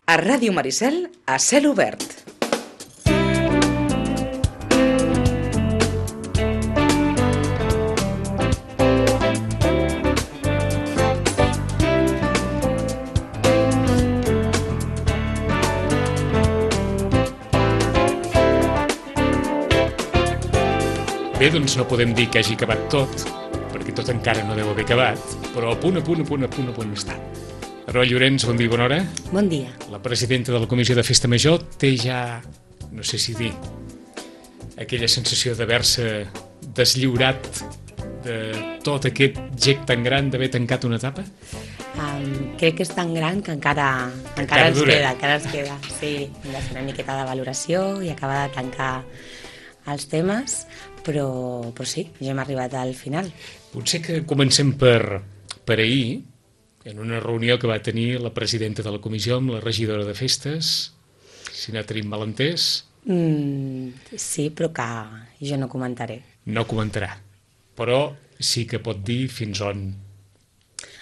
A Ràdio Maricel, a cel obert. Bé, doncs no podem dir que hagi acabat tot, perquè tot encara no deu haver acabat, però a punt està. Aroa Llorens, bon dia i bona hora. Bon dia. La presidenta de la Comissió de Festa Major té ja, no sé si dir, aquella sensació d'haver-se deslliurat de tot aquest gec tan gran d'haver tancat una etapa? Crec que és tan gran que encara ens queda. Sí, hem de fer una miqueta de valoració i acabar de tancar els temes, però sí, ja hem arribat al final. Potser que comencem per ahir, en una reunió que va tenir la presidenta de la comissió amb la regidora de festes, si no tenim malentès. Sí, però que jo no comentaré. No comentarà, però sí que pot dir fins on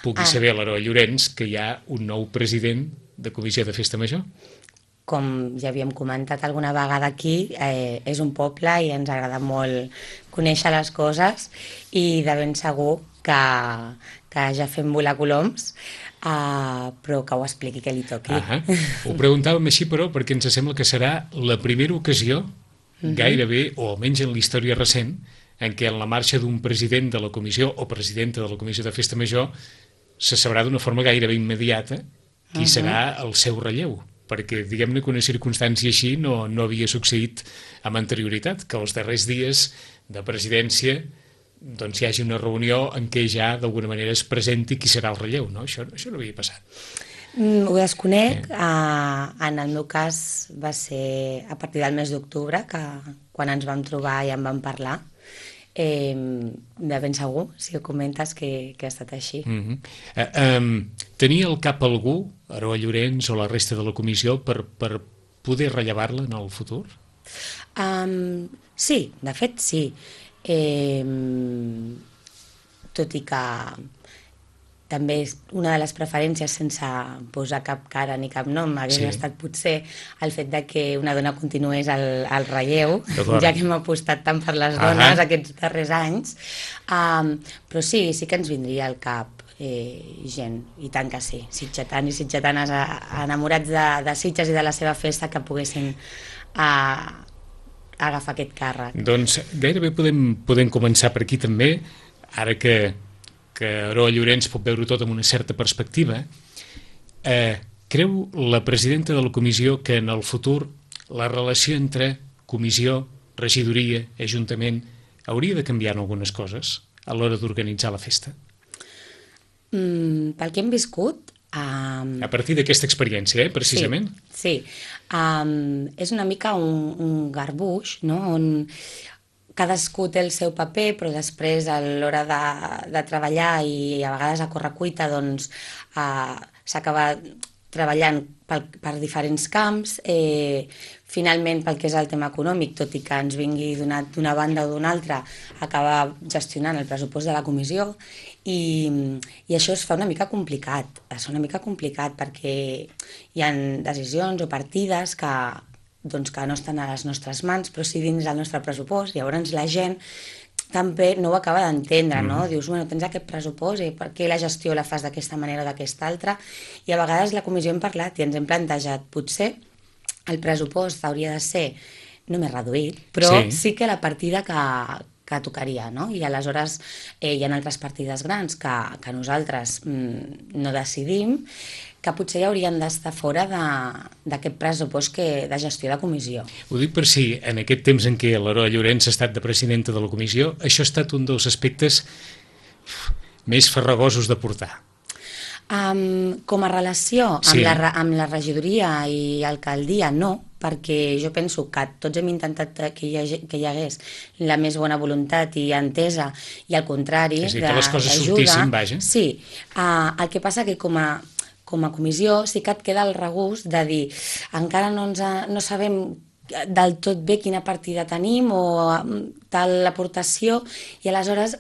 pugui saber l'Aroa Llorens que hi ha un nou president de comissió de festa major. Com ja havíem comentat alguna vegada aquí, és un poble i ens agrada molt conèixer les coses i de ben segur que ja fem volar coloms, però que ho expliqui, que li toqui. Ho preguntàvem així, però, perquè ens sembla que serà la primera ocasió, gairebé, o almenys en la història recent, en què en la marxa d'un president de la comissió o presidenta de la comissió de festa major se sabrà d'una forma gairebé immediata qui serà el seu relleu. Perquè diguem-ne que una circumstància així no havia succeït amb anterioritat, que els darrers dies de presidència doncs hi hagi una reunió en què ja d'alguna manera es presenti qui serà el relleu, no? Això no havia passat. Ho desconec. En el meu cas va ser a partir del mes d'octubre, que quan ens vam trobar i en vam parlar. De ben segur, si ho comentes, que ha estat així. Tenia al cap algú, Aroa Llorens o la resta de la comissió, per poder rellevar-la en el futur? Sí, de fet sí. Tot i que també una de les preferències, sense posar cap cara ni cap nom, hagués estat potser el fet de que una dona continués al relleu, ja que hem apostat tant per les dones aquests darrers anys. Però sí que ens vindria al cap gent, i tant que sí, sitgetans i sitgetanes enamorats de Sitges i de la seva festa, que poguessin agafar aquest càrrec. Doncs gairebé podem començar per aquí també, ara que Aroa Llorens pot veure tot amb una certa perspectiva. Creu la presidenta de la comissió que en el futur la relació entre comissió, regidoria, ajuntament hauria de canviar en algunes coses a l'hora d'organitzar la festa? Pel que hem viscut... A partir d'aquesta experiència, precisament? Sí. És una mica un garbuix, no?, on cadascú té el seu paper, però després a l'hora de treballar i a vegades a correcuita doncs s'acaba treballant per diferents camps. Finalment, pel que és el tema econòmic, tot i que ens vingui d'una banda o d'una altra, acaba gestionant el pressupost de la comissió i això es fa una mica complicat. És una mica complicat perquè hi ha decisions o partides que no estan a les nostres mans, però sí dins del nostre pressupost. Llavors la gent també no ho acaba d'entendre, no? Dius, bueno, tens aquest pressupost i per què la gestió la fas d'aquesta manera o d'aquesta altra? I a vegades la comissió hem parlat i ens hem plantejat, potser el pressupost hauria de ser només reduït, però sí que la partida que tocaria, no? I aleshores hi ha altres partides grans que nosaltres no decidim, que potser ja haurien d'estar fora d'aquest pressupost de gestió de comissió. Ho dic per si en aquest temps en què l'Aroa Llorens ha estat de presidenta de la comissió, això ha estat un dels aspectes més farragosos de portar. Com a relació amb la regidoria i alcaldia, no, perquè jo penso que tots hem intentat que hi hagués la més bona voluntat i entesa, i al contrari, que les coses sortissin, vaja. Sí, el que passa que com a comissió sí que et queda el regust de dir encara no sabem del tot bé quina partida tenim o tal aportació, i aleshores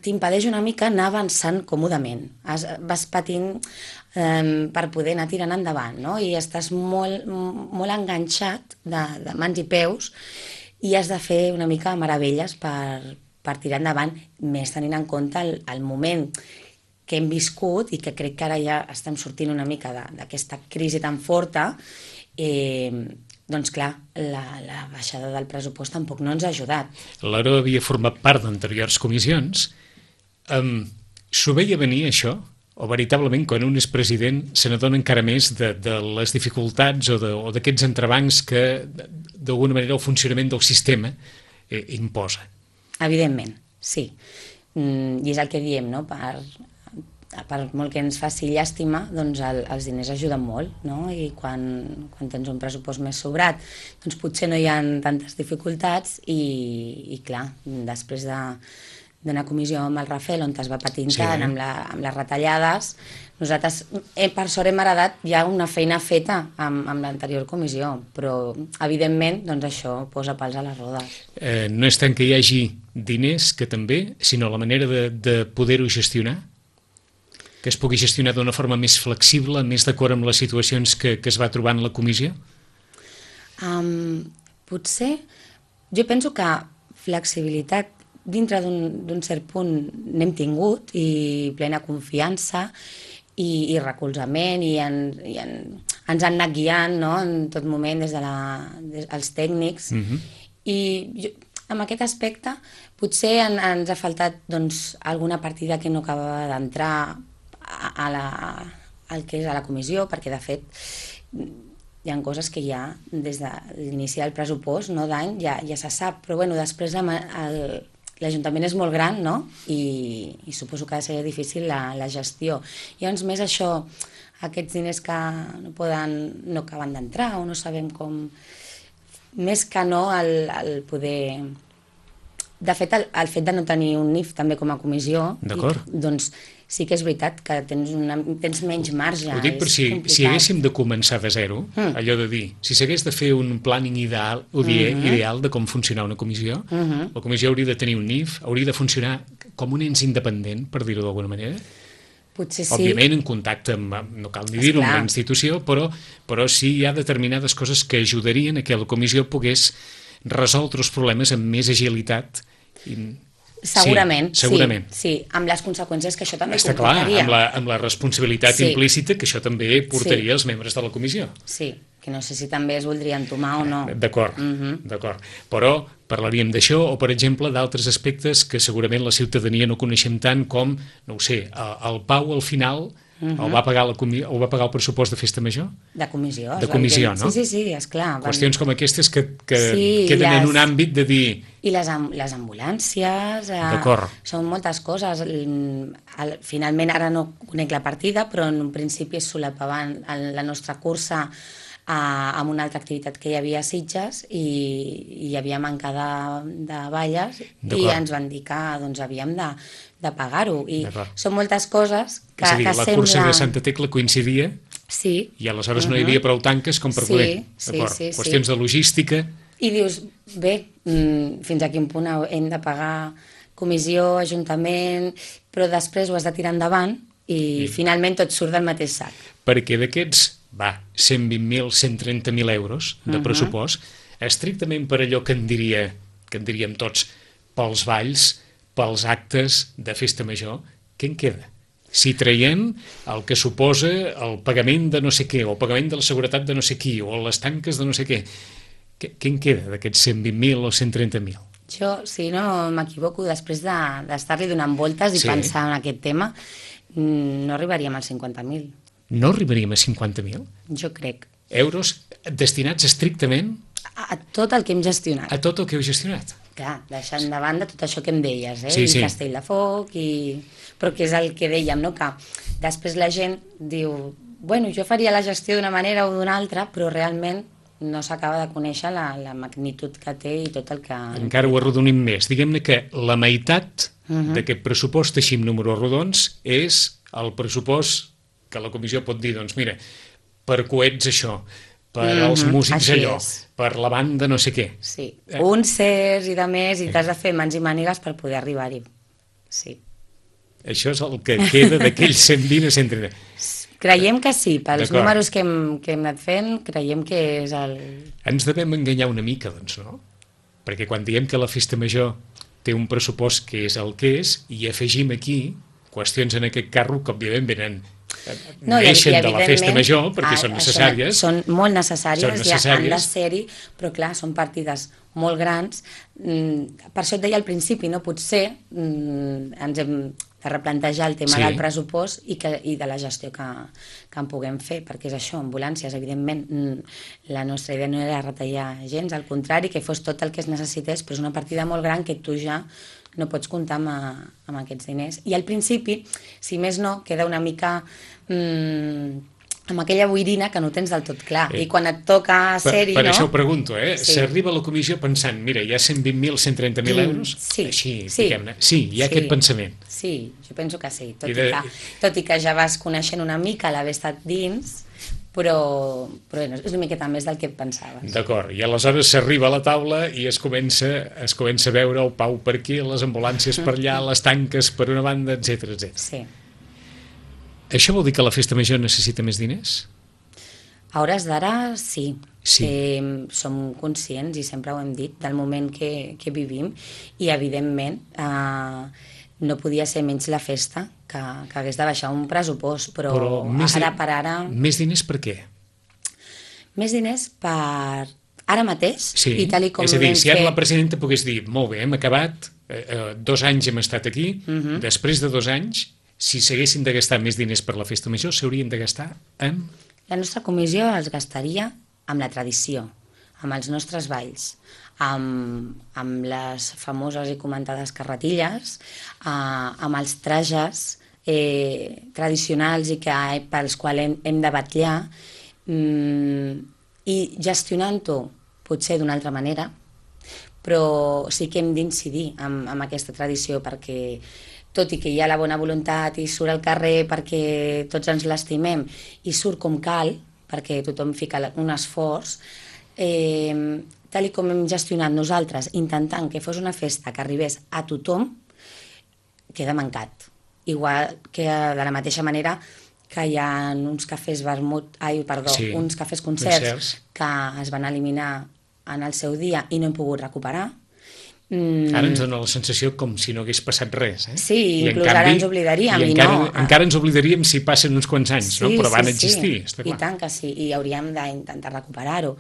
t'impedeix una mica anar avançant còmodament. Vas patint per poder anar tirant endavant, no? I estàs molt, molt enganxat de mans i peus i has de fer una mica meravelles per tirar endavant, més tenint en compte el moment que hem viscut i que crec que ara ja estem sortint una mica d'aquesta crisi tan forta. Doncs clar, la baixada del pressupost tampoc no ens ha ajudat. Laura havia format part d'anteriors comissions. S'ho veia venir, això? O veritablement, quan un és president, se n'adona encara més de les dificultats o d'aquests entrebancs que, d'alguna manera, el funcionament del sistema imposa? Evidentment, sí. I és el que diem, no? Per molt que ens faci llàstima, doncs els diners ajuden molt, no? I quan tens un pressupost més sobrat, doncs potser no hi ha tantes dificultats i clar, després d'una comissió amb el Rafel on es va patint tant amb les retallades, nosaltres per sort hem heredat ja una feina feta amb l'anterior comissió, però evidentment doncs això posa pals a les rodes. No és tant que hi hagi diners que també, sinó la manera de poder-ho gestionar, que es pugui gestionar d'una forma més flexible, més d'acord amb les situacions que es va trobant la comissió? Potser, jo penso que flexibilitat dintre d'un cert punt n'hem tingut i plena confiança i recolzament i ens han anat guiant, no? En tot moment des dels tècnics. I jo, en aquest aspecte potser ens ha faltat doncs, alguna partida que no acabava d'entrar al que és a la comissió, perquè de fet hi ha coses que ja des de l'inici del pressupost, no d'any, ja se sap, però bueno, després l'Ajuntament és molt gran, no? I suposo que ha de ser difícil la gestió. Llavors més això, aquests diners que no acaben d'entrar o no sabem com, més que no el poder... De fet, el fet de no tenir un NIF també com a comissió, doncs sí que és veritat que tens menys marge. Ho dic per si haguéssim de començar de zero, allò de dir, si s'hagués de fer un planning ideal de com funcionar una comissió, la comissió hauria de tenir un NIF, hauria de funcionar com un ens independent, per dir-ho d'alguna manera. Potser sí. Òbviament en contacte amb, no cal ni dir-ho, amb la institució, però sí hi ha determinades coses que ajudarien a que la comissió pogués resoldre els problemes amb més agilitat. Segurament, segurament. Sí, amb les conseqüències que això també està comportaria. Clar, amb la responsabilitat implícita que això també portaria als membres de la comissió. Sí, que no sé si també es voldria entomar o no. D'acord, d'acord. Però parlaríem d'això o, per exemple, d'altres aspectes que segurament la ciutadania no coneixem tant com, no ho sé, el Pau al final el va pagar el pressupost de Festa Major? De comissió. De comissió, no? Sí, esclar. Qüestions com aquestes que queden en un àmbit de dir... I les ambulàncies, són moltes coses. Finalment ara no conec la partida, però en un principi es solapaven la nostra cursa amb una altra activitat que hi havia a Sitges i hi havia manca de balles i ens van dir que doncs, havíem de pagar-ho. I són moltes coses que sembla... És a dir, la cursa de Santa Tecla coincidia i aleshores no hi havia prou tanques com per poder. Qüestions de logística... I dius, bé, fins a quin punt hem de pagar comissió, ajuntament, però després ho has de tirar endavant i finalment tot surt del mateix sac. Perquè d'aquests, 120.000, 130.000 euros de pressupost, estrictament per allò que en diríem tots, pels balls, pels actes de Festa Major, què en queda? Si traiem el que suposa el pagament de no sé què, o el pagament de la seguretat de no sé qui, o les tanques de no sé què, què en queda d'aquests 120.000 o 130.000? Jo, si no m'equivoco, després d'estar-li donant voltes i pensar en aquest tema, no arribaríem als 50.000. No arribaríem a 50.000? Jo crec. Euros destinats estrictament? A tot el que hem gestionat. A tot el que heu gestionat? Clar, deixant de banda tot això que em deies, i Castelldefels, però que és el que dèiem, no? Que després la gent diu, bueno, jo faria la gestió d'una manera o d'una altra, però realment no s'acaba de conèixer la magnitud que té i tot el que... Encara ho arrodonim més. Diguem-ne que la meitat d'aquest pressupost, així amb números rodons, és el pressupost que la comissió pot dir, doncs mira, per coets això, per als músics allò, per la banda no sé què. Sí, concerts i de més, i t'has de fer mans i mànigues per poder arribar-hi. sí. Això és el que queda d'aquells 120 a 130. Creiem que sí, pels D'acord. números que hem anat fent, creiem que és el... Ens devem enganyar una mica, doncs, no? Perquè quan diem que la festa major té un pressupost que és el que és, i afegim aquí qüestions en aquest carro que, òbviament, neixen de la festa major, perquè són necessàries. Són molt necessàries, Són necessàries. ja han de ser-hi, però clar, són partides molt grans. Per això et deia al principi, no? Potser ens hem de replantejar el tema del pressupost i de la gestió que en puguem fer, perquè és això, ambulàncies, evidentment, la nostra idea no era retallar gens, al contrari, que fos tot el que es necessités, però és una partida molt gran que tu ja no pots comptar amb aquests diners. I al principi, si més no, queda una mica amb aquella boirina que no tens del tot clar. I quan et toca ser-hi, Per no? això ho pregunto, Sí. s'arriba a la comissió pensant, mira, hi ha 120.000, 130.000 euros? Sí, Així, sí. diguem-ne. Sí, hi ha aquest pensament. Sí, jo penso que sí, I tot i que ja vas coneixent una mica l'haver estat dins, però bueno, és una miqueta més del que et pensaves. D'acord, i aleshores s'arriba a la taula i es comença a veure el Pau per aquí, les ambulàncies per allà, les tanques per una banda, etc. Sí. Això vol dir que la festa major necessita més diners? A hores d'ara, sí. Sí. Som conscients, i sempre ho hem dit, del moment que vivim, i evidentment no podia ser menys la festa que hagués de baixar un pressupost, però ara per ara... Més diners per què? Més diners per ara mateix, Sí, i tal com és a dir, si ara fet... la presidenta pogués dir, molt bé, hem acabat, 2 anys hem estat aquí, després de 2 anys, si s'haguessin de gastar més diners per la festa major, s'haurien de gastar amb... La nostra comissió es gastaria amb la tradició, amb els nostres balls, amb les famoses i comentades carretilles, amb els trajes tradicionals i pels quals hem de batllar, i gestionant-ho potser d'una altra manera, però sí que hem d'incidir amb aquesta tradició, perquè tot i que hi ha la bona voluntat i surt al carrer perquè tots ens l'estimem i surt com cal, perquè tothom fica un esforç, tal com hem gestionat nosaltres, intentant que fos una festa que arribés a tothom, queda mancat. Igual que de la mateixa manera que hi ha uns cafès uns cafès concerts que es van eliminar en el seu dia i no hem pogut recuperar. Ara ens dona la sensació com si no hagués passat res. Sí, inclús ara ens oblidaríem. Encara ens oblidaríem si passen uns quants anys, no? Però van existir, està clar. I tant que sí, i hauríem d'intentar recuperar-ho.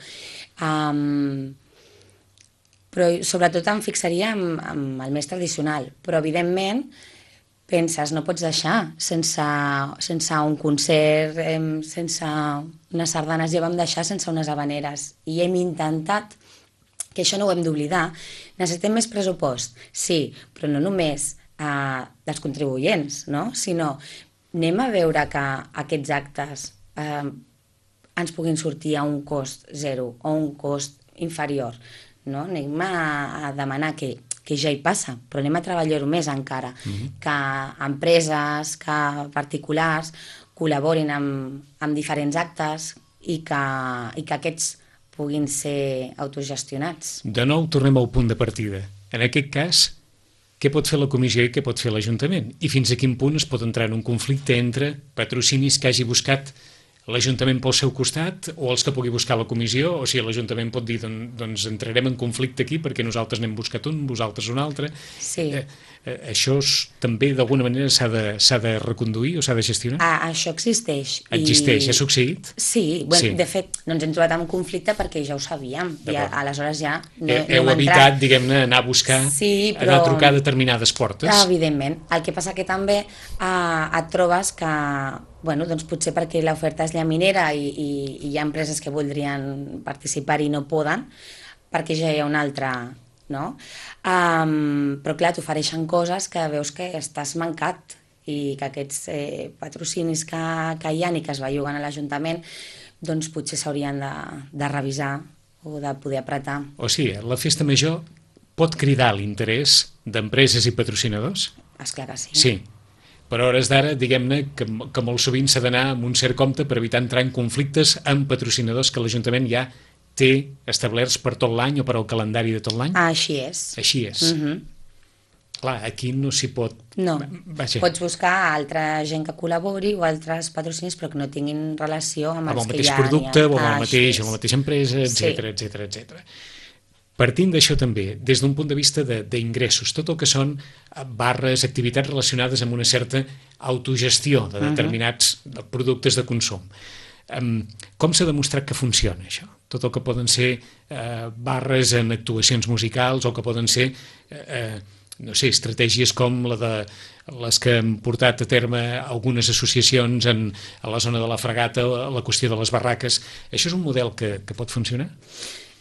Però sobretot em fixaria amb el més tradicional, però evidentment penses, no pots deixar sense un concert, sense unes sardanes, ja vam deixar sense unes habaneres, i hem intentat que això no ho hem d'oblidar. Necessitem més pressupost, sí, però no només dels contribuents, no? Sinó anem a veure que aquests actes ens puguin sortir a un cost zero o un cost inferior, no? Anem a demanar que ja hi passa, però anem a treballar-ho més encara, que empreses, que particulars col·laborin amb diferents actes i que aquests puguin ser autogestionats. De nou tornem al punt de partida. En aquest cas, què pot fer la comissió i què pot fer l'Ajuntament? I fins a quin punt es pot entrar en un conflicte entre patrocinis que hagi buscat l'Ajuntament pel seu costat o els que pugui buscar la comissió, o si l'Ajuntament pot dir doncs entrarem en conflicte aquí perquè nosaltres n'hem buscat un, vosaltres un altre. Sí. Això també d'alguna manera s'ha de reconduir o s'ha de gestionar? Això existeix. Existeix, ha succeït? Sí, de fet no ens hem trobat en conflicte perquè ja ho sabíem, i aleshores ja heu evitat, diguem-ne, anar a buscar, anar a trucar a determinades portes. Evidentment, el que passa que també et trobes que doncs potser perquè l'oferta és llaminera i hi ha empreses que voldrien participar i no poden, perquè ja hi ha una altra, no? Però clar, t'ofereixen coses que veus que estàs mancat i que aquests patrocinis que hi ha i que es belluguen a l'Ajuntament doncs potser s'haurien de revisar o de poder apretar. O sigui, la festa major pot cridar l'interès d'empreses i patrocinadors? Esclar que sí. Sí. Però a hores d'ara, diguem-ne, que molt sovint s'ha d'anar amb un cert compte per evitar entrar en conflictes amb patrocinadors que l'Ajuntament ja té establerts per tot l'any o per al calendari de tot l'any? Així és. Així és. Clar, aquí no s'hi pot... No, Vaja, pots buscar altra gent que col·labori o altres patrocinis però que no tinguin relació amb amb els el que mateix ja producte o amb el Així mateix, és. amb la mateixa empresa, Sí. etc. Partint d'això també, des d'un punt de vista d'ingressos, tot el que són barres, activitats relacionades amb una certa autogestió de determinats productes de consum. Com s'ha demostrat que funciona això? Tot el que poden ser barres en actuacions musicals o que poden ser, no sé, estratègies com la de les que han portat a terme algunes associacions a la zona de la Fragata, la qüestió de les barraques. Això és un model que pot funcionar?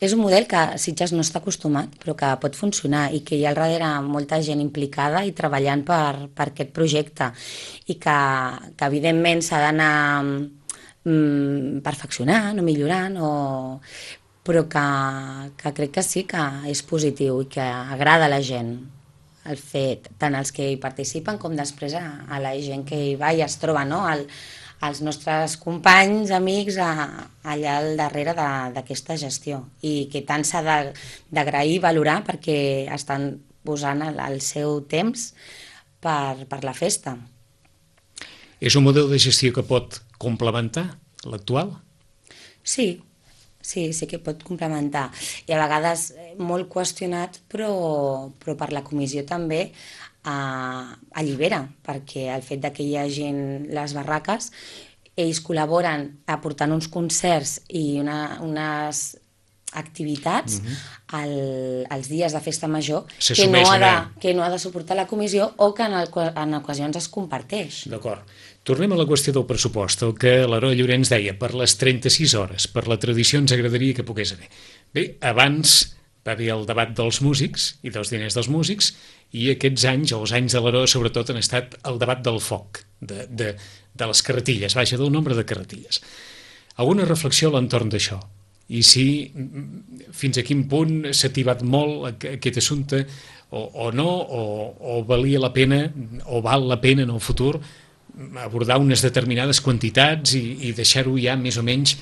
És un model que Sitges no està acostumat, però que pot funcionar i que hi ha al darrere molta gent implicada i treballant per aquest projecte i que evidentment s'ha d'anar perfeccionant o millorant, però que crec que sí que és positiu i que agrada a la gent el fet, tant els que hi participen com després a la gent que hi va i es troba, no?, els nostres companys, amics, allà al darrere d'aquesta gestió i que tant s'ha d'agrair i valorar perquè estan posant el seu temps per la festa. És un model de gestió que pot complementar l'actual? Sí que pot complementar. I a vegades molt qüestionat, però per la comissió també allibera, perquè el fet de que hi hagin les barraques, ells col·laboren aportant uns concerts i unes activitats als dies de festa major que no ha de suportar la comissió o que en ocasions es comparteix. D'acord. Tornem a la qüestió del pressupost, el que l'Heroi Llorenç deia, per les 36 hores, per la tradició ens agradaria que pogués haver. Bé, abans va haver el debat dels músics i dels diners dels músics i aquests anys, o els anys de l'Heroi sobretot, han estat el debat del foc, de les carretilles, vaja, del nombre de carretilles. Alguna reflexió a l'entorn d'això? I si fins a quin punt s'ha tibat molt aquest assumpte o no, o valia la pena o val la pena en el futur abordar unes determinades quantitats i deixar-ho ja més o menys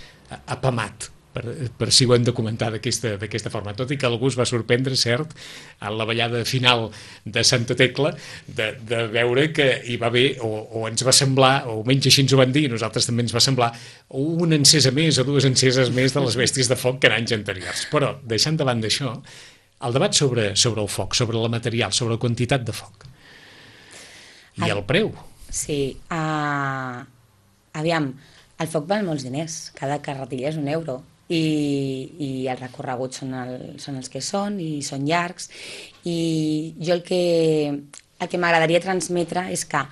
apamat, per si ho hem de comentar d'aquesta forma. Tot i que algú es va sorprendre, cert, en la ballada final de Santa Tecla, de veure que hi va haver, o ens va semblar, o almenys així ens ho van dir, nosaltres també ens va semblar, una encesa més o dues enceses més de les bèsties de foc que en anys anteriors. Però, deixant de banda això, el debat sobre el foc, sobre la material, sobre la quantitat de foc. I el preu. Sí, aviam, el foc val molts diners, cada carretilla és €1 i els recorreguts són els que són i són llargs i jo el que m'agradaria transmetre és que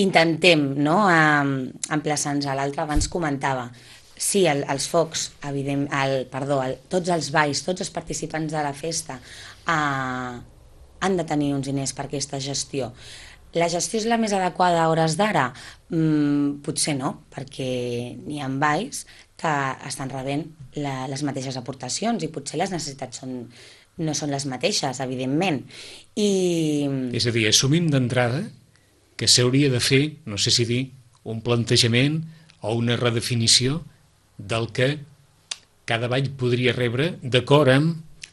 intentem, no?, emplaçar-nos a l'altre. Abans comentava, sí, els focs, tots els balls, tots els participants de la festa han de tenir uns diners per aquesta gestió. La gestió és la més adequada a hores d'ara? Potser no, perquè n'hi ha balls que estan rebent les mateixes aportacions i potser les necessitats no són les mateixes, evidentment. És a dir, assumim d'entrada que s'hauria de fer, no sé si dir, un plantejament o una redefinició del que cada ball podria rebre d'acord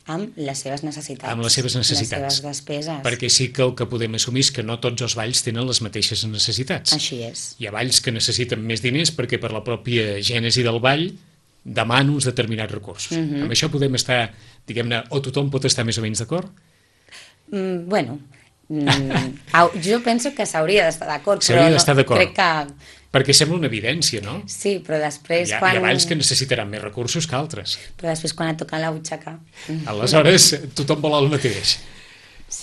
amb les seves necessitats. Amb les seves necessitats. Les seves despeses. Perquè sí que el que podem assumir és que no tots els balls tenen les mateixes necessitats. Així és. Hi ha balls que necessiten més diners perquè per la pròpia gènesi del ball demana uns determinats recursos. Amb això podem estar, diguem-ne, o tothom pot estar més o menys d'acord? Bueno, jo penso que s'hauria d'estar d'acord, però crec que... Perquè sembla una evidència, no? Sí, però després Hi ha balls que necessitaran més recursos que altres. Però després quan et toca la butxaca... Aleshores, tothom vol el mateix.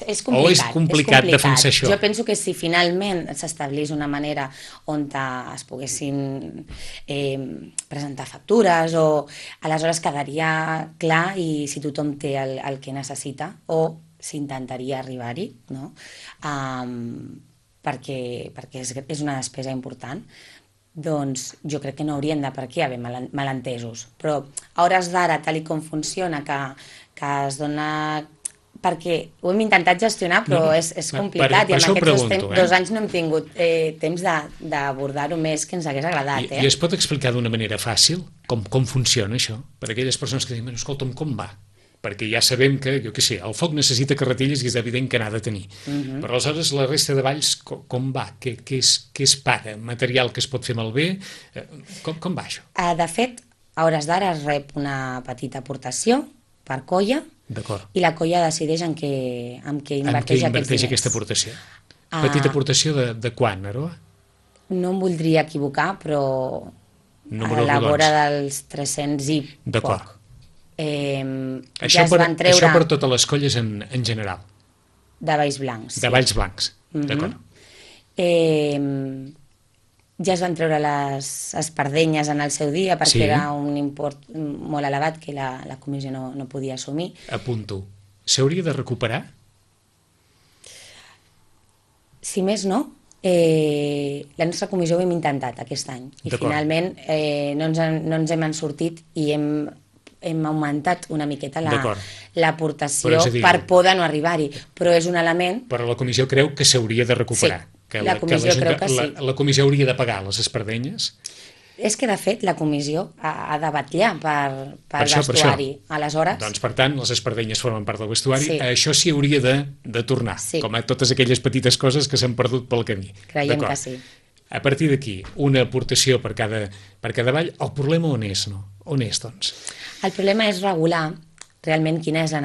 És complicat. O és complicat defensar això? Jo penso que si finalment s'establís una manera on es poguessin presentar factures o aleshores quedaria clar i si tothom té el que necessita o s'intentaria arribar-hi, no? perquè és una despesa important, doncs jo crec que no haurien de per què haver malentesos. Però a hores d'ara, tal com funciona, que es dona... Perquè ho hem intentat gestionar, però és complicat i en aquests 2 anys no hem tingut temps d'abordar-ho més que ens hagués agradat. I es pot explicar d'una manera fàcil com funciona això? Per a aquelles persones que diuen, escolta'm, com va? perquè ja sabem que, jo què sé, el foc necessita carretilles i és evident que n'ha de tenir. Però aleshores la resta de balls com va? Què es paga? Material que es pot fer malbé? Com va això? De fet, a hores d'ara es rep una petita aportació per colla i la colla decideix en què inverteix aquests diners. Aquesta aportació? Petita aportació de quan, Aroa? No em voldria equivocar, però a la vora dels 300 i poc. Això per totes les colles en general? De Valls Blancs. De Valls Blancs, d'acord. Ja es van treure les espardenyes en el seu dia perquè era un import molt elevat que la comissió no podia assumir. Apunto. S'hauria de recuperar? Si més no, la nostra comissió ho hem intentat aquest any i finalment no ens hem sortit i hem augmentat una miqueta l'aportació per poder no arribar-hi, però és un element... Però la comissió creu que s'hauria de recuperar. Sí, la comissió creu que sí. La comissió hauria de pagar les espardenyes? És que, de fet, la comissió ha de vetllar per vestuari. Aleshores... Doncs, per tant, les espardenyes formen part del vestuari. Això sí hauria de tornar, com a totes aquelles petites coses que s'han perdut pel camí. Creiem que sí. A partir d'aquí, una aportació per cada ball. El problema on és, no? On és, doncs? El problema és regular realment quina és la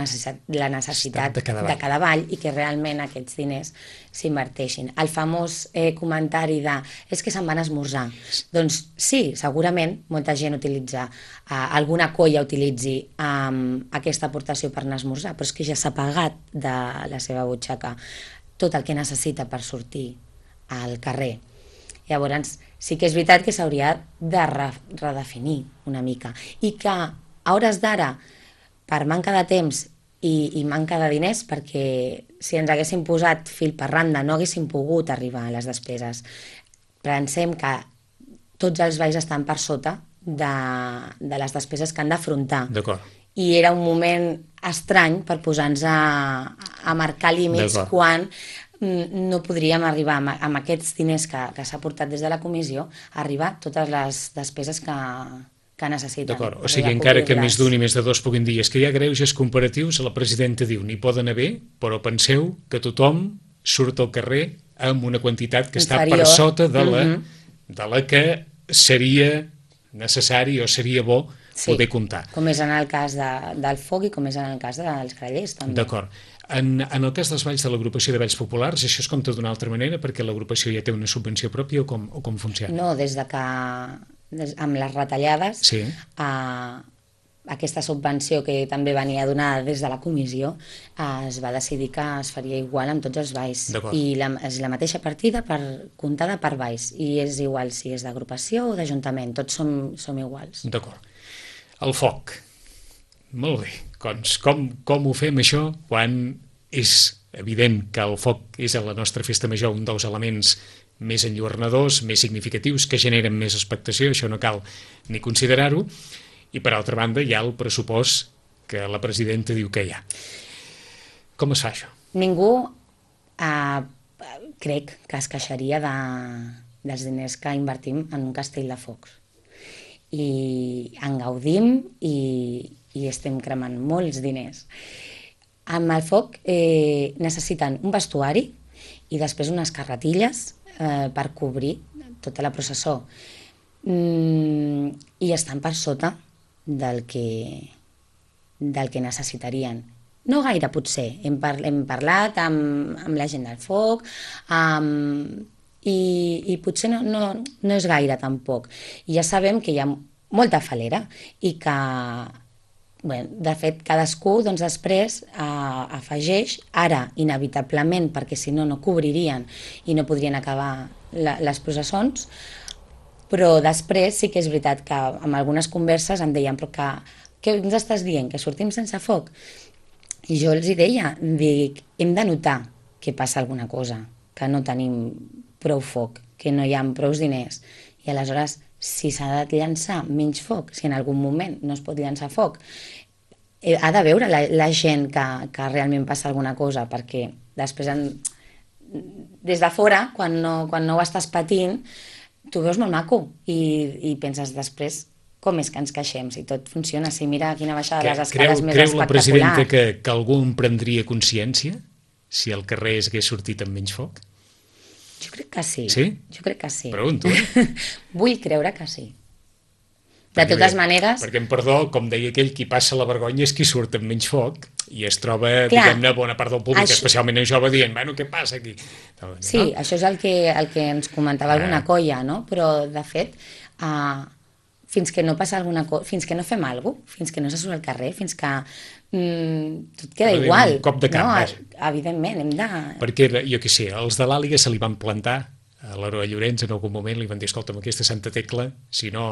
necessitat de cada ball i que realment aquests diners s'inverteixin. El famós comentari de és que se'n van esmorzar. Doncs sí, segurament molta gent utilitza, alguna colla utilitzi aquesta aportació per anar a esmorzar, però és que ja s'ha pagat de la seva butxaca tot el que necessita per sortir al carrer. Llavors, sí que és veritat que s'hauria de redefinir una mica i que a hores d'ara, per manca de temps i manca de diners, perquè si ens haguéssim posat fil per randa no haguéssim pogut arribar a les despeses. Pensem que tots els balls estan per sota de les despeses que han d'afrontar. D'acord. I era un moment estrany per posar-nos a marcar límits quan no podríem arribar amb aquests diners que s'ha portat des de la comissió a arribar a totes les despeses que necessiten. D'acord, o sigui, encara que més d'un i més de dos puguin dir és que hi ha greuges comparatius, la presidenta diu n'hi poden haver, però penseu que tothom surt al carrer amb una quantitat que està per sota de la que seria necessari o seria bo poder comptar. Com és en el cas del foc i com és en el cas dels grallers, també. D'acord. En el cas dels balls de l'agrupació de balls populars, això es compta d'una altra manera perquè l'agrupació ja té una subvenció pròpia o com funciona? No, des de que amb les retallades aquesta subvenció que també venia donada des de la comissió es va decidir que es faria igual amb tots els balls i és la mateixa partida comptada per balls i és igual si és d'agrupació o d'ajuntament, tots som iguals. D'acord. El foc. Molt bé. Com ho fem això quan és evident que el foc és a la nostra festa major un dels elements més enlluernadors, més significatius, que generen més expectació, això no cal ni considerar-ho, i per altra banda hi ha el pressupost que la presidenta diu que hi ha. Com es fa això? Ningú crec que es queixaria dels diners que invertim en un castell de focs. I en gaudim i estem cremant molts diners. Amb el foc necessiten un vestuari i després unes carretilles per cobrir tota la processó. I estan per sota del que necessitarien. No gaire, potser. Hem parlat amb la gent del foc i potser no és gaire tampoc. I ja sabem que hi ha molta falera i que, de fet, cadascú després afegeix, ara inevitablement, perquè si no cobririen i no podrien acabar les processons, però després sí que és veritat que amb algunes converses em deien però què ens estàs dient, que sortim sense foc? I jo els deia, hem de notar que passa alguna cosa, que no tenim prou foc, que no hi ha prou diners. I aleshores, si s'ha de llançar menys foc, si en algun moment no es pot llançar foc, ha de veure la gent que realment passa alguna cosa, perquè després, des de fora, quan no ho estàs patint, tu veus molt maco i penses després com és que ens queixem? Si tot funciona, si mira quina baixada de les escales més Creu la presidenta espectacular. que algú en prendria consciència si el carrer hagués sortit amb menys foc? Jo crec que sí. Sí? Jo crec que sí. Pregunto, Vull creure que sí. De totes maneres... Perquè, em perdó, com deia aquell, qui passa la vergonya és qui surt amb menys foc i es troba, Clar, diguem-ne, bona part del públic, això... especialment en jove, dient, bueno, què passa aquí? Sí, això és el que ens comentava alguna colla, no? Però, de fet, fins que no passa alguna cosa, fins que no fem alguna cosa, fins que no se surt al carrer, fins que tot queda igual. Un cop de camp, no? Evidentment, hem de... Perquè, jo què sé, els de l'Àliga se li van plantar a l'Heroi Llorenç en algun moment, li van dir, escolta'm, aquesta Santa Tecla, si no,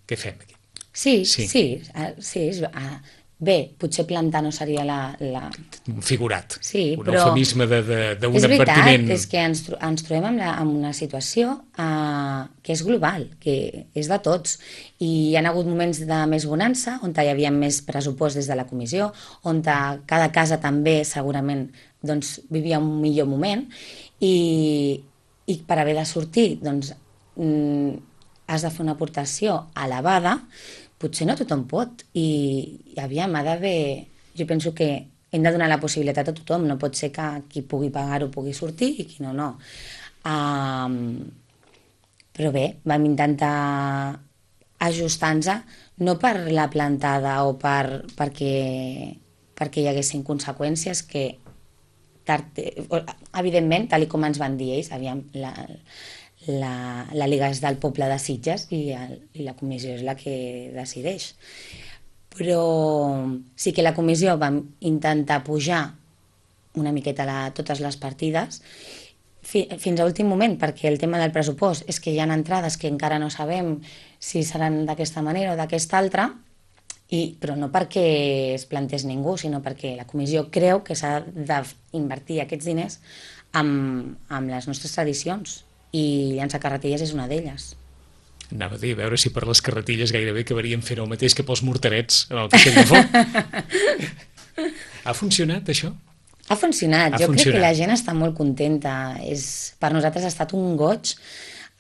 què fem aquí? Sí. Bé, potser plantar no seria Un figurat, sí, un però eufemisme d'un és veritat, advertiment. És que ens trobem amb una situació que és global, que és de tots, i hi ha hagut moments de més bonança, on hi havia més pressupost des de la comissió, on cada casa també segurament doncs, vivia un millor moment, i per haver de sortir doncs, has de fer una aportació elevada, potser no tothom pot, i aviam, ha d'haver... Jo penso que hem de donar la possibilitat a tothom, no pot ser que qui pugui pagar-ho pugui sortir i qui no, no. Però bé, vam intentar ajustar-nos, no per la plantada o perquè hi haguessin conseqüències que, evidentment, tal com ens van dir ells, aviam, la Liga és del poble de Sitges i la comissió és la que decideix. Però sí que la comissió vam intentar pujar una miqueta totes les partides fins a últim moment, perquè el tema del pressupost és que hi ha entrades que encara no sabem si seran d'aquesta manera o d'aquesta altra, però no perquè es plantés ningú, sinó perquè la comissió creu que s'ha d'invertir aquests diners amb les nostres tradicions, i llançar carretilles és una d'elles. Anava a dir, a veure si per les carretilles gairebé acabaríem fent el mateix que pels morterets en el castell de foc. Ha funcionat, això? Ha funcionat. Jo crec que la gent està molt contenta. Per nosaltres ha estat un goig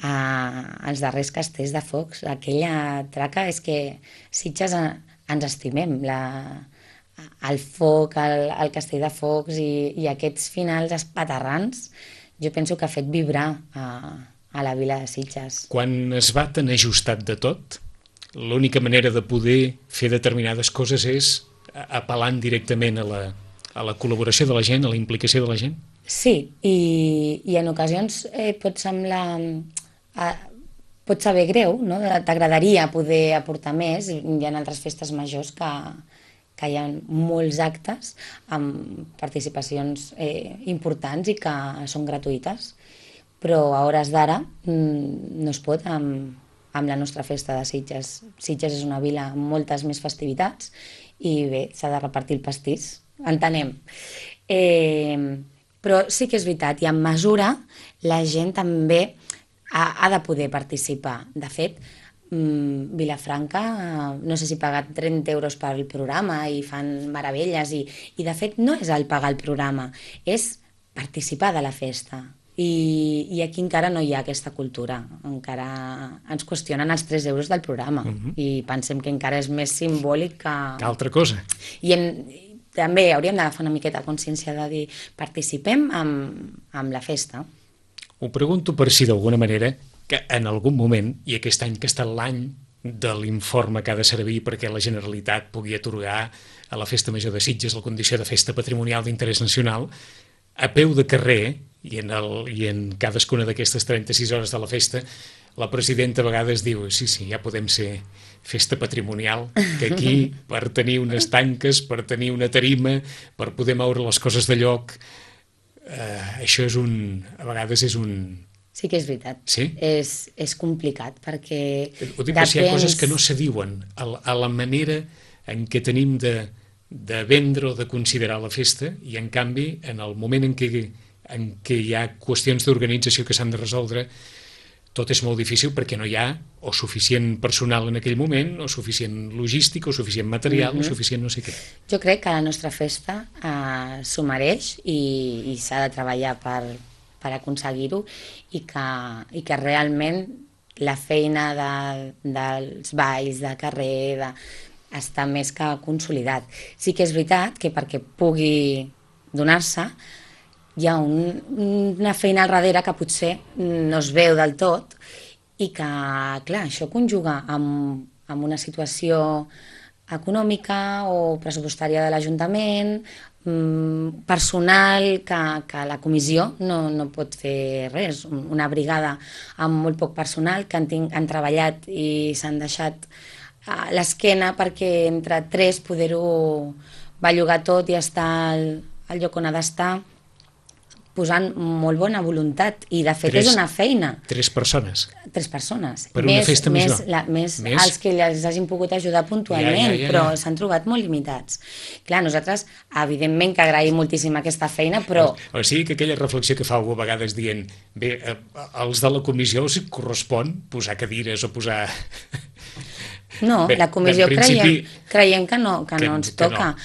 als darrers castells de focs. Aquella traca és que Sitges ens estimem. El foc, el castell de focs i aquests finals espaterrans, jo penso que ha fet vibrar a la vila de Sitges. Quan es va tan ajustat de tot, l'única manera de poder fer determinades coses és apel·lant directament a la col·laboració de la gent, a la implicació de la gent? Sí, i en ocasions pot saber greu, no? T'agradaria poder aportar més. Hi ha altres festes majors que hi ha molts actes amb participacions importants i que són gratuïtes, però a hores d'ara no es pot amb la nostra festa de Sitges. Sitges és una vila amb moltes més festivitats i bé, s'ha de repartir el pastís, entenem. Però sí que és veritat, i en mesura la gent també ha de poder participar. De fet, Vilafranca, no sé si ha pagat 30 euros pel programa i fan meravelles, i de fet no és el pagar el programa, és participar de la festa. I aquí encara no hi ha aquesta cultura, encara ens qüestionen els 3 euros del programa, i pensem que encara és més simbòlic que altra cosa. I també hauríem d'agafar una miqueta consciència de dir participem amb la festa. Ho pregunto per si d'alguna manera que en algun moment, i aquest any que ha estat l'any de l'informe que ha de servir perquè la Generalitat pugui atorgar a la Festa Major de Sitges la condició de festa patrimonial d'interès nacional, a peu de carrer, i en cadascuna d'aquestes 36 hores de la festa, la presidenta a vegades diu, sí, ja podem ser festa patrimonial, que aquí, per tenir unes tanques, per tenir una tarima, per poder moure les coses de lloc, això a vegades és un... Sí que és veritat. Sí? És complicat, perquè... Ho dic, si hi ha coses que no se diuen a la manera en què tenim de vendre o de considerar la festa, i en canvi, en el moment en què hi ha qüestions d'organització que s'han de resoldre, tot és molt difícil perquè no hi ha o suficient personal en aquell moment, o suficient logística, o suficient material, o suficient no sé què. Jo crec que la nostra festa s'ho mereix i s'ha de treballar per aconseguir-ho, i que realment la feina dels balls, de carrer, està més que consolidat. Sí que és veritat que perquè pugui donar-se hi ha una feina al darrere que potser no es veu del tot i que, clar, això conjuga amb una situació econòmica o pressupostària de l'Ajuntament, personal, que la comissió no pot fer res. Una brigada amb molt poc personal que han treballat i s'han deixat l'esquena perquè entre tres poder-ho bellugar tot i estar al lloc on ha d'estar, posant molt bona voluntat, i de fet és una feina. 3 persones. 3 persones. Per una festa major. Més els que els hagin pogut ajudar puntualment, però s'han trobat molt limitats. Clar, nosaltres, evidentment que agraïm moltíssim aquesta feina, però... O sigui que aquella reflexió que fa algú a vegades dient, bé, als de la comissió us correspon posar cadires o posar... No, bé, la comissió creiem que no ens toca.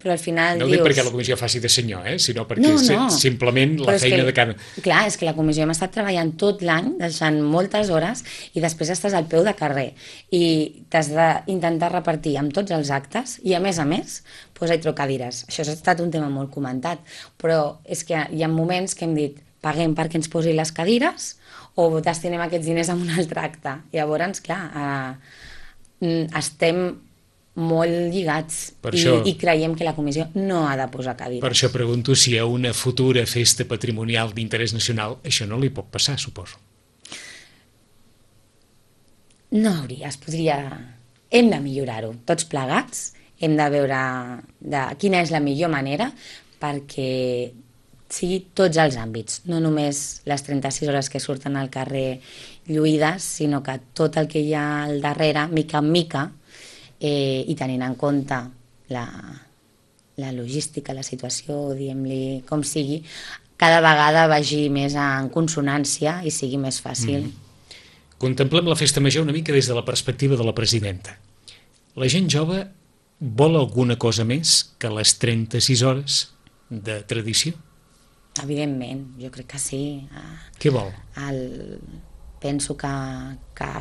Però al final no dius... No ho dic perquè la comissió faci de senyor, sinó perquè simplement la feina de cada... Clar, és que la comissió hem estat treballant tot l'any, deixant moltes hores, i després estàs al peu de carrer i t'has d'intentar repartir amb tots els actes i, a més, posar-hi cadires. Això ha estat un tema molt comentat, però és que hi ha moments que hem dit paguem perquè ens posi les cadires o destinem aquests diners a un altre acte. Llavors, clar, estem molt lligats i creiem que la comissió no ha de posar cadires. Per això pregunto si a una futura festa patrimonial d'interès nacional això no li pot passar, suposo. No hauria, es podria... Hem de millorar-ho, tots plegats, hem de veure quina és la millor manera perquè sigui tots els àmbits, no només les 36 hores que surten al carrer lluïdes, sinó que tot el que hi ha al darrere, mica en mica, i tenint en compte la logística, la situació, diguem-li com sigui, cada vegada vagi més en consonància i sigui més fàcil. Contemplem la festa major una mica des de la perspectiva de la presidenta. La gent jove vol alguna cosa més que les 36 hores de tradició? Evidentment, jo crec que sí. Què vol? Penso que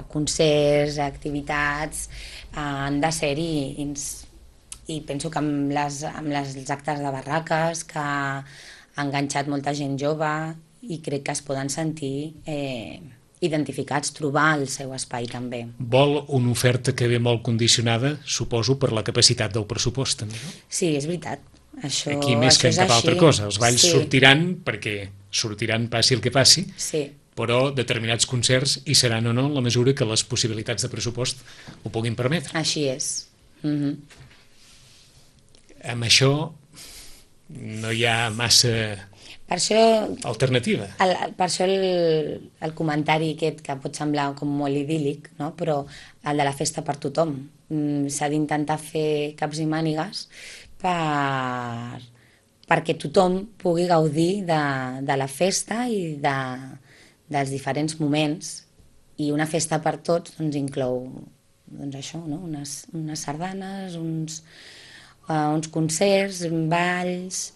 concerts, activitats han de ser-hi, i penso que amb els actes de barraques que ha enganxat molta gent jove, i crec que es poden sentir identificats, trobar el seu espai també. Vol una oferta que ve molt condicionada, suposo, per la capacitat del pressupost, també, no? Sí, és veritat. Aquí més que en cap altra cosa. Els balls sortiran perquè sortiran passi el que passi, però determinats concerts hi seran o no en la mesura que les possibilitats de pressupost ho puguin permetre. Així és. Amb això no hi ha massa alternativa. Per això el comentari aquest, que pot semblar com molt idíl·lic, no? Però el de la festa per tothom. S'ha d'intentar fer caps i mànigues perquè tothom pugui gaudir de la festa i dels diferents moments, i una festa per tots inclou això, unes sardanes, uns concerts, balls,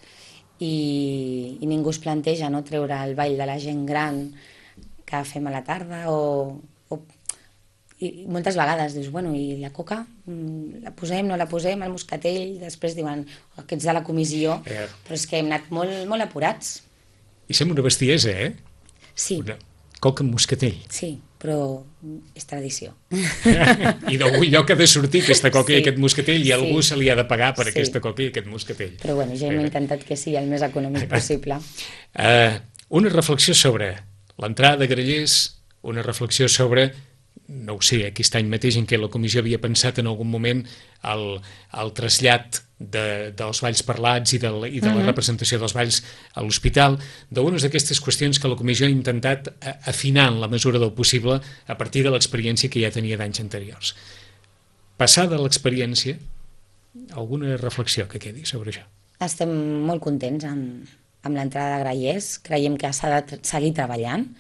i ningú es planteja treure el ball de la gent gran que fem a la tarda, i moltes vegades dius, bueno, i la coca, la posem, no la posem, el moscatell, després diuen, aquests de la comissió, però és que hem anat molt apurats. I sembla una bestiesa, Sí. Una coca amb moscatell. Sí, però és tradició. I d'algun lloc ha de sortir aquesta coca i aquest moscatell, i algú se li ha de pagar per aquesta coca i aquest moscatell. Però bueno, ja hem intentat que sigui el més econòmic possible. Una reflexió sobre l'entrada de grallers, una reflexió sobre... no ho sé, aquest any mateix en què la comissió havia pensat en algun moment el trasllat dels balls parlats i de la representació dels balls a l'hospital, d'unes d'aquestes qüestions que la comissió ha intentat afinar en la mesura del possible a partir de l'experiència que ja tenia d'anys anteriors. Passada l'experiència, alguna reflexió que quedi sobre això? Estem molt contents amb l'entrada de grallers, creiem que s'ha de seguir treballant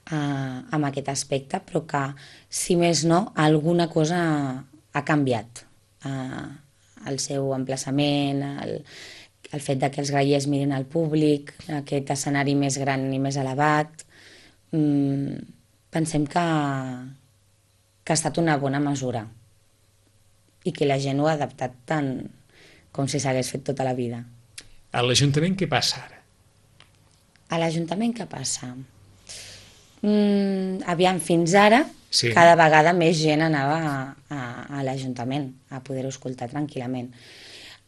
amb aquest aspecte, però que, si més no, alguna cosa ha canviat. El seu emplaçament, el fet que els grallers mirin al públic, aquest escenari més gran i més elevat, pensem que ha estat una bona mesura i que la gent ho ha adaptat tant com si s'hagués fet tota la vida. A l'Ajuntament què passa ara? A l'Ajuntament què passa? Aviam, fins ara Sí. cada vegada més gent anava a l'Ajuntament a poder-ho escoltar tranquil·lament.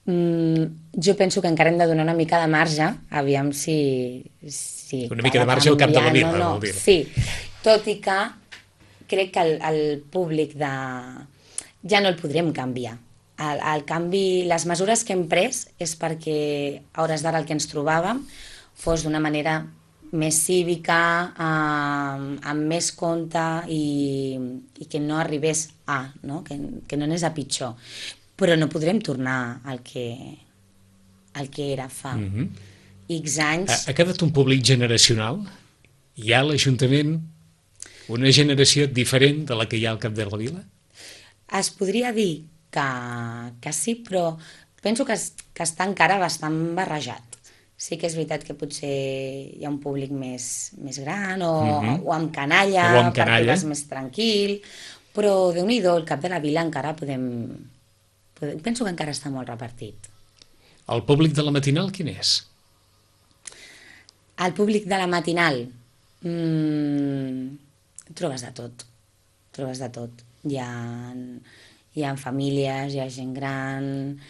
Jo penso que encara hem de donar una mica de marge, aviam si Una mica de marge al cap de la vila, no, vol dir. sí, tot i que crec que el públic ja no el podrem canviar. El canvi, les mesures que hem pres és perquè a hores d'ara el que ens trobàvem fos d'una manera més cívica, amb més compte i que no arribés no? Que no anés a pitjor. Però no podrem tornar al que era fa X anys. Ha quedat un públic generacional? Hi ha a l'Ajuntament una generació diferent de la que hi ha al cap de la vila? Es podria dir que sí, però penso que està encara bastant barrejat. Sí que és veritat que potser hi ha un públic més gran o amb canalla, perquè vas més tranquil, però Déu-n'hi-do, el cap de la vila encara penso que encara està molt repartit. El públic de la matinal quin és? El públic de la matinal trobes de tot. Hi ha famílies, hi ha gent gran,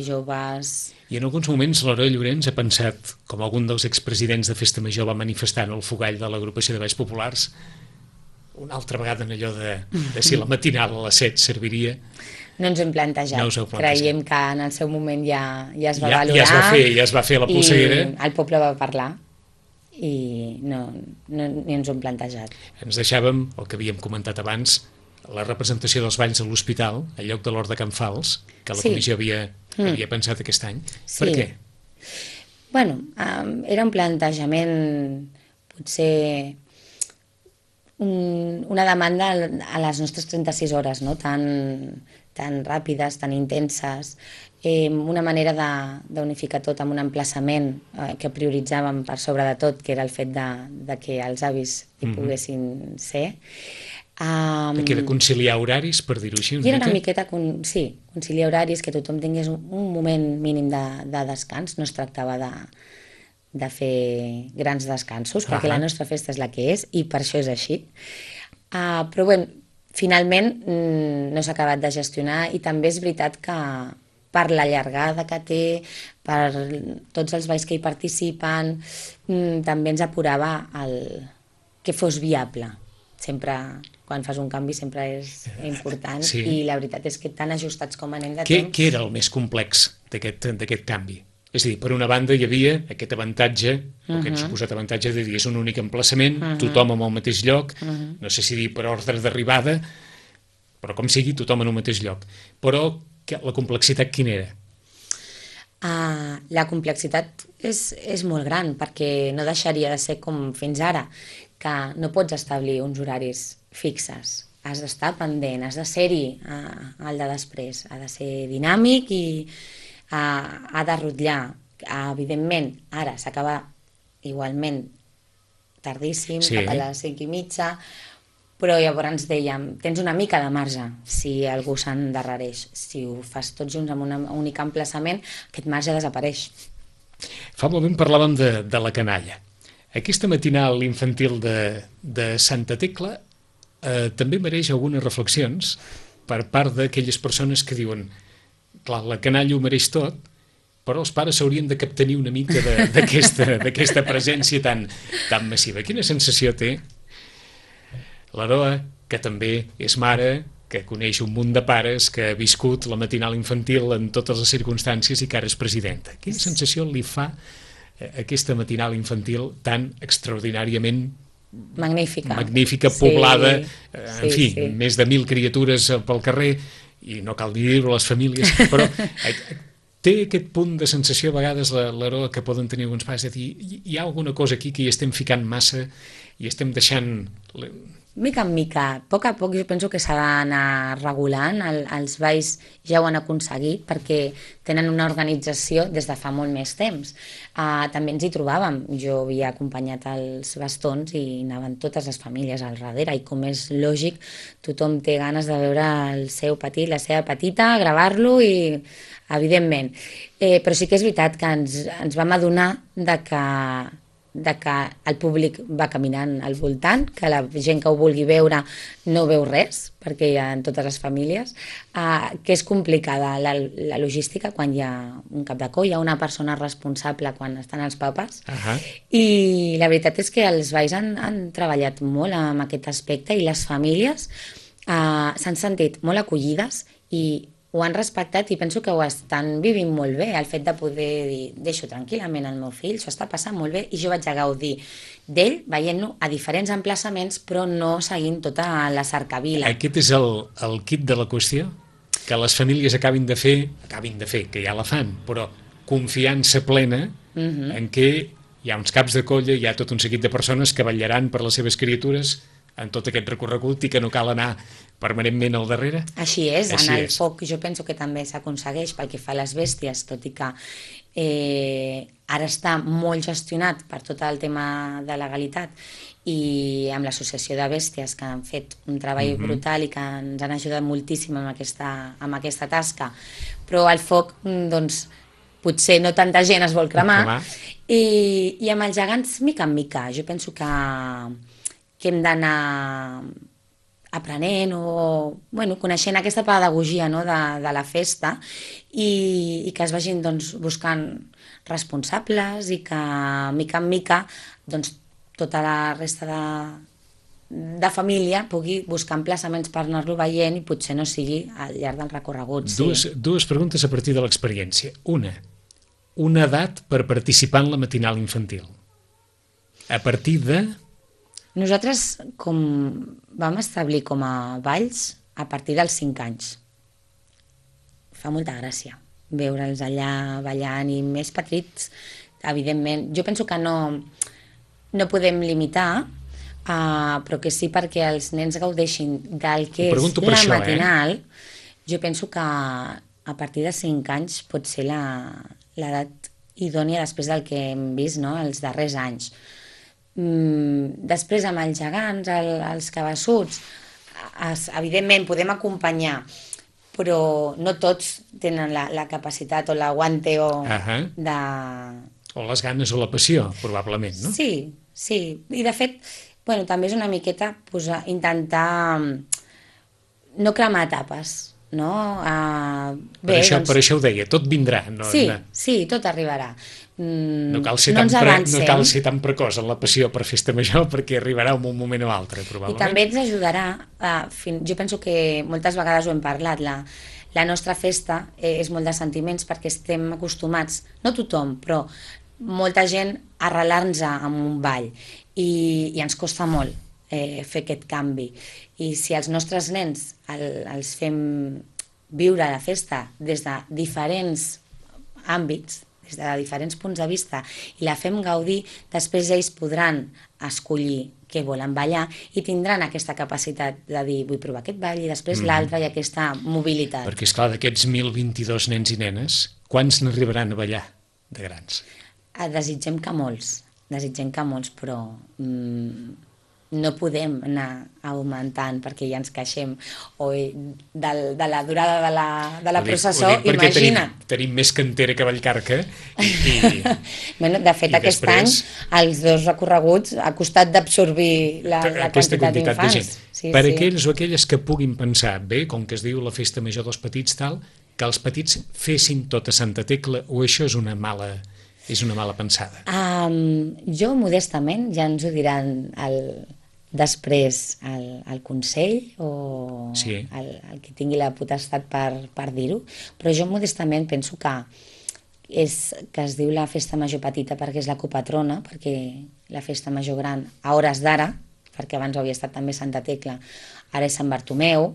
joves... I en alguns moments l'Heroi Llorens ha pensat, com algun dels expresidents de Festa Major va manifestar en el fogall de l'agrupació de balls populars, una altra vegada en allò de si la matinal a les 7 serviria... No ens ho hem plantejat. No us ho heu plantejat. Creiem que en el seu moment ja es va valorar. Ja es va fer la polseguera. I el poble va parlar i no ni ens ho hem plantejat. Ens deixàvem, el que havíem comentat abans, la representació dels balls a l'hospital, al lloc de l'Hort de Can Fals, que la comissió havia pensat aquest any. Sí. Per què? Bueno, era un plantejament, potser una demanda a les nostres 36 hores, no? tan ràpides, tan intenses, una manera d'unificar tot amb un emplaçament que prioritzàvem per sobre de tot, que era el fet de que els avis hi poguessin ser. Que de conciliar horaris, per dir-ho així. I era una miqueta, conciliar horaris, que tothom tingués un moment mínim de descans. No es tractava de fer grans descansos, perquè la nostra festa és la que és i per això és així. Però bé, finalment no s'ha acabat de gestionar i també és veritat que per la llargada que té, per tots els balls que hi participen, també ens apurava que fos viable. Sempre, quan fas un canvi, sempre és important i la veritat és que tan ajustats com anem de temps... Què era el més complex d'aquest canvi? És a dir, per una banda hi havia aquest avantatge, o aquest suposat avantatge de dir és un únic emplaçament, tothom en el mateix lloc, no sé si dir per ordre d'arribada, però com sigui, tothom en un mateix lloc. Però la complexitat quina era? La complexitat és molt gran, perquè no deixaria de ser com fins ara, que no pots establir uns horaris fixes. Has d'estar pendent, has de ser-hi al de després, ha de ser dinàmic i ha de rutllar. Evidentment, ara s'acaba igualment tardíssim, cap a les 5:30, però llavors dèiem, tens una mica de marge si algú s'endarrereix. Si ho fas tots junts amb un únic emplaçament, aquest marge desapareix. Fa un moment parlàvem de la canalla. Aquesta matinal infantil de Santa Tecla també mereix algunes reflexions per part d'aquelles persones que diuen clar, la canalla ho mereix tot, però els pares s'haurien de captenir una mica d'aquesta presència tan massiva. Quina sensació té l'Aroa, que també és mare, que coneix un munt de pares, que ha viscut la matinal infantil en totes les circumstàncies i que ara és presidenta? Quina sensació li fa aquesta matinal infantil tan extraordinàriament magnífica, poblada, en fi, més de 1.000 criatures pel carrer, i no cal dir-ho a les famílies, però té aquest punt de sensació a vegades l'Aroa que poden tenir alguns pares de dir hi ha alguna cosa aquí que hi estem ficant massa i estem deixant mica en mica, a poc jo penso que s'ha d'anar regulant, els balls ja ho han aconseguit perquè tenen una organització des de fa molt més temps. També ens hi trobàvem, jo havia acompanyat els bastons i anaven totes les famílies al darrere i com és lògic, tothom té ganes de veure el seu petit, la seva petita, gravar-lo i evidentment. Però sí que és veritat que ens vam adonar de que el públic va caminant al voltant, que la gent que ho vulgui veure no veu res, perquè hi ha en totes les famílies, que és complicada la logística quan hi ha un cap de coll, hi ha una persona responsable quan estan els papes, i la veritat és que els balls han treballat molt en aquest aspecte i les famílies s'han sentit molt acollides i ho han respectat i penso que ho estan vivint molt bé, el fet de poder dir, deixo tranquil·lament el meu fill, s'ho està passant molt bé i jo vaig a gaudir d'ell veient-lo a diferents emplaçaments però no seguint tota la cercavila. Aquest és el quid de la qüestió? Que les famílies acabin de fer, que ja la fan, però confiança plena en què hi ha uns caps de colla, hi ha tot un seguit de persones que vetllaran per les seves criatures en tot aquest recorregut i que no cal anar permanentment al darrere? Així és, en el foc jo penso que també s'aconsegueix pel que fa a les bèsties, tot i que ara està molt gestionat per tot el tema de legalitat i amb l'associació de bèsties que han fet un treball brutal i que ens han ajudat moltíssim amb aquesta tasca, però el foc doncs potser no tanta gent es vol cremar i amb els gegants mica en mica, jo penso que hem d'anar aprenent o coneixent aquesta pedagogia de la festa i que es vagin buscant responsables i que mica en mica tota la resta de família pugui buscar emplaçaments per anar-lo veient i potser no sigui al llarg del recorregut. Dues preguntes a partir de l'experiència. Una edat per participar en la matinal infantil. A partir de... Nosaltres vam establir com a balls a partir dels 5 anys. Fa molta gràcia veure'ls allà ballant i més petits, evidentment. Jo penso que no podem limitar, però que sí perquè els nens gaudeixin del que és la matinal. Jo penso que a partir de 5 anys pot ser l'edat idònia després del que hem vist els darrers anys. Després amb els gegants, els cabassuts, evidentment podem acompanyar, però no tots tenen la capacitat o l'aguante o les ganes o la passió, probablement, no? Sí, i de fet també és una miqueta intentar no cremar etapes, no? Per això ho deia, tot vindrà. Sí, tot arribarà. No cal ser tan precoç en la passió per festa major perquè arribarà en un moment o altre, probablement. I també ens ajudarà, jo penso que moltes vegades ho hem parlat, la nostra festa és molt de sentiments perquè estem acostumats, no tothom, però molta gent a arrelar-nos en un ball i ens costa molt fer aquest canvi. I si els nostres nens els fem viure la festa des de diferents àmbits, des de diferents punts de vista, i la fem gaudir, després ells podran escollir què volen ballar i tindran aquesta capacitat de dir vull provar aquest ball i després l'altre i aquesta mobilitat. Perquè, esclar, d'aquests 1.022 nens i nenes, quants n'arribaran a ballar de grans? Desitgem que molts, però no podem anar augmentant perquè ja ens queixem de la durada de la processó, imagina't. Tenim més cantera que Vallcarca de fet aquest any els 2 recorreguts ha costat d'absorbir la quantitat d'infants. Per aquells o aquelles que puguin pensar, bé, com que es diu la festa major dels petits tal, que els petits fessin tota Santa Tecla, o això és una mala pensada? Jo modestament, ja ens ho diran després el Consell o el que tingui la potestat per dir-ho, però jo modestament penso que es diu la festa major petita perquè és la copatrona, perquè la festa major gran a hores d'ara, perquè abans havia estat també Santa Tecla, ara és Sant Bartomeu,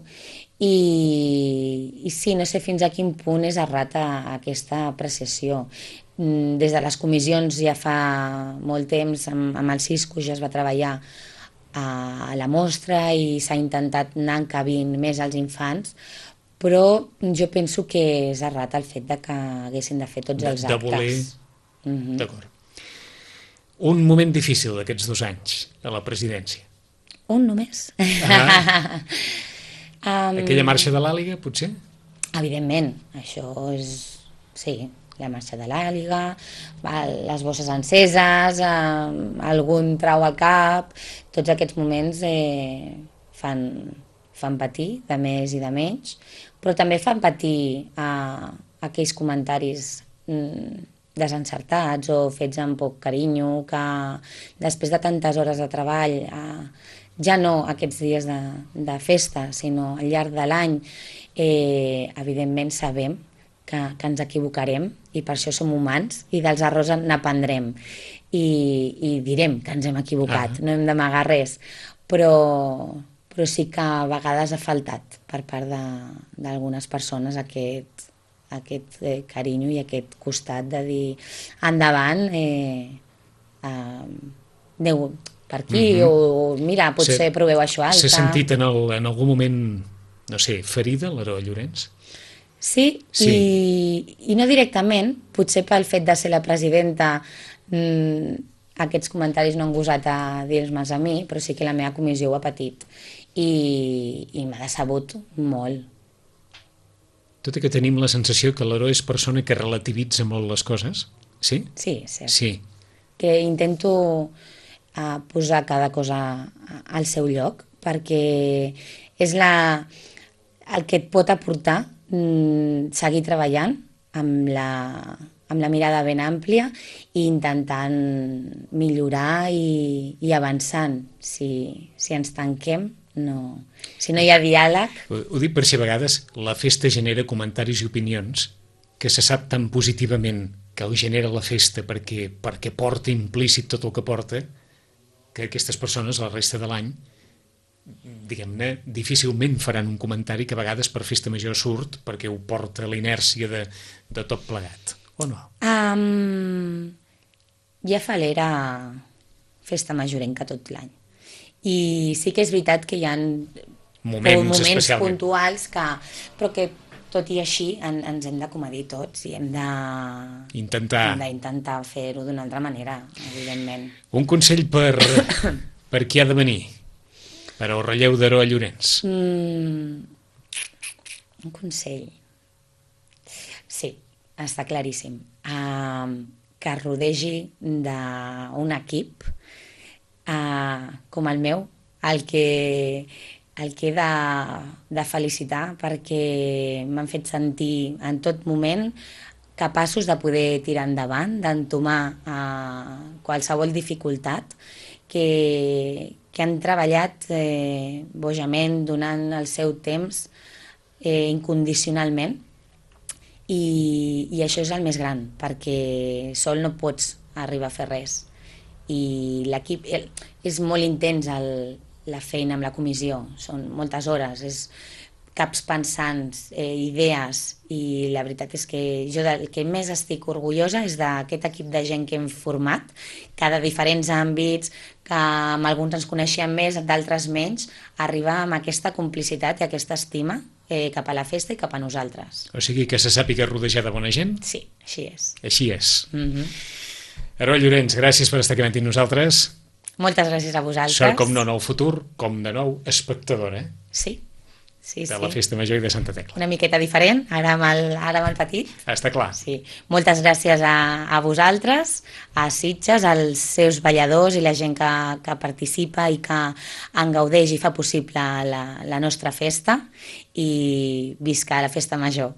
i sí, no sé fins a quin punt és errata aquesta apreciació. Des de les comissions ja fa molt temps, amb el Cisco ja es va treballar a la mostra i s'ha intentat anar encabint més als infants, però jo penso que és errat el fet de que haguessin de fer tots els De actes. voler... D'acord. Un moment difícil d'aquests 2 anys a la presidència. Un només. Aquella marxa de l'Àliga, potser? Evidentment, això és... Sí, la marxa de l'àliga, les bosses enceses, algun trau al cap, tots aquests moments fan patir, de més i de menys, però també fan patir aquells comentaris desencertats o fets amb poc carinyo, que després de tantes hores de treball, ja no aquests dies de festa, sinó al llarg de l'any, evidentment sabem que ens equivocarem i per això som humans i dels errors n'aprendrem i direm que ens hem equivocat, no hem d'amagar res, però sí que a vegades ha faltat per part d'algunes persones aquest carinyo i aquest costat de dir endavant, aneu per aquí o mira, potser proveu això altre. S'ha sentit en algun moment, no sé, ferida l'Aroa Llorens? Sí, i no directament, potser pel fet de ser la presidenta aquests comentaris no han gosat a dir-me'ls a mi, però sí que la meva comissió ho ha patit i m'ha decebut molt. Tot i que tenim la sensació que l'Aroa és persona que relativitza molt les coses, sí? Sí, cert. Sí. Que intento posar cada cosa al seu lloc, perquè és el que et pot aportar seguir treballant amb la mirada ben àmplia i intentant millorar i avançant. Si ens tanquem, no. Si no hi ha diàleg... Ho dic per si a vegades la festa genera comentaris i opinions que se sap tan positivament que ho genera la festa perquè porta implícit tot el que porta, que aquestes persones la resta de l'any diguem-ne, difícilment faran un comentari que a vegades per festa major surt perquè ho porta la inèrcia de tot plegat, o no? Ja falera festa majorenca tot l'any. I sí que és veritat que hi ha moments puntuals però que tot i així ens hem d'acomodir tots i hem d'intentar fer-ho d'una altra manera, evidentment. Un consell per qui ha de venir? Per al relleu d'Aroa Llorens. Un consell. Sí, està claríssim. Que es rodegi d'un equip com el meu, el que he de felicitar perquè m'han fet sentir en tot moment capaços de poder tirar endavant, d'entomar qualsevol dificultat, que han treballat bojament, donant el seu temps incondicionalment i això és el més gran, perquè sol no pots arribar a fer res i l'equip és molt intens la feina amb la comissió, són moltes hores, és caps pensants, idees, i la veritat és que jo del que més estic orgullosa és d'aquest equip de gent que hem format, que de diferents àmbits, que amb alguns ens coneixem més, d'altres menys, arribar amb aquesta complicitat i aquesta estima cap a la festa i cap a nosaltres. O sigui que se sàpiga rodejar de bona gent? Sí, així és. Així és. Aroa Llorens, gràcies per estar aquí amb nosaltres. Moltes gràcies a vosaltres. Sort com no en el futur, com de nou espectadora. Sí. Sí, de la Festa Major i de Santa Tecla. Una miqueta diferent, ara amb el petit. Està clar. Sí. Moltes gràcies a vosaltres, a Sitges, als seus balladors i la gent que participa i que en gaudeix i fa possible la nostra festa, i visca la Festa Major.